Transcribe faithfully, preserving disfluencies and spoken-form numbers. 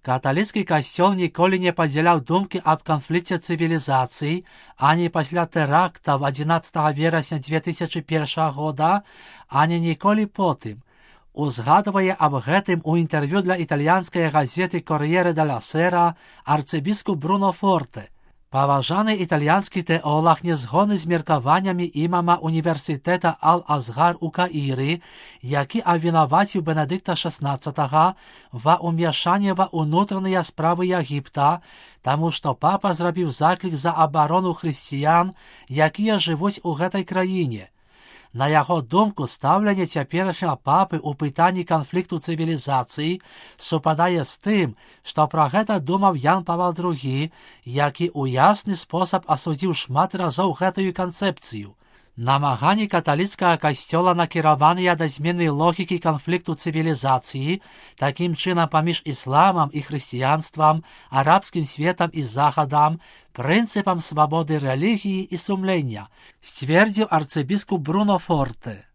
Каталіцкі касцёл ніколі не падзяляў думкі аб канфлікце цывілізацый, ані пасля тэрактаў адзінаццатага верасня дзве тысячы першага года, ані ніколі потым. Узгадвае аб гэтым у інтэрв'ю для італьянскай газеты «Кор'єре деля Сера» арцыбіскуп Бруно Форте. Паважаны італьянскі тэолаг не згодны з меркаваннямі імама універсітэта Ал-Азгар у Каіры, які абвінаваціў Бенедыкта шаснаццатага ва ўмяшанне ва ўнутраныя справы Егіпта, таму што папа зрабіў заклік за абарону хрысціян, якія жывуць у гэтай краіне. На яго думку, стаўленне цяперашняга папы ў пытанні канфлікту цывілізацыі супадае з тым, што пра гэта думаў Ян Павел другі, які ў ясны спосаб асудзіў шмат разоў гэтую канцэпцыю. Намаганні каталіцкага касцёла накіраваныя да змены логікі канфлікту цывілізацыі, такім чынам паміж ісламам і хрысціянствам, арабскім светам і захадам, прынцыпам свабоды рэлігіі і сумлення, сцвердзіў арцыбіскуп Бруно Форте.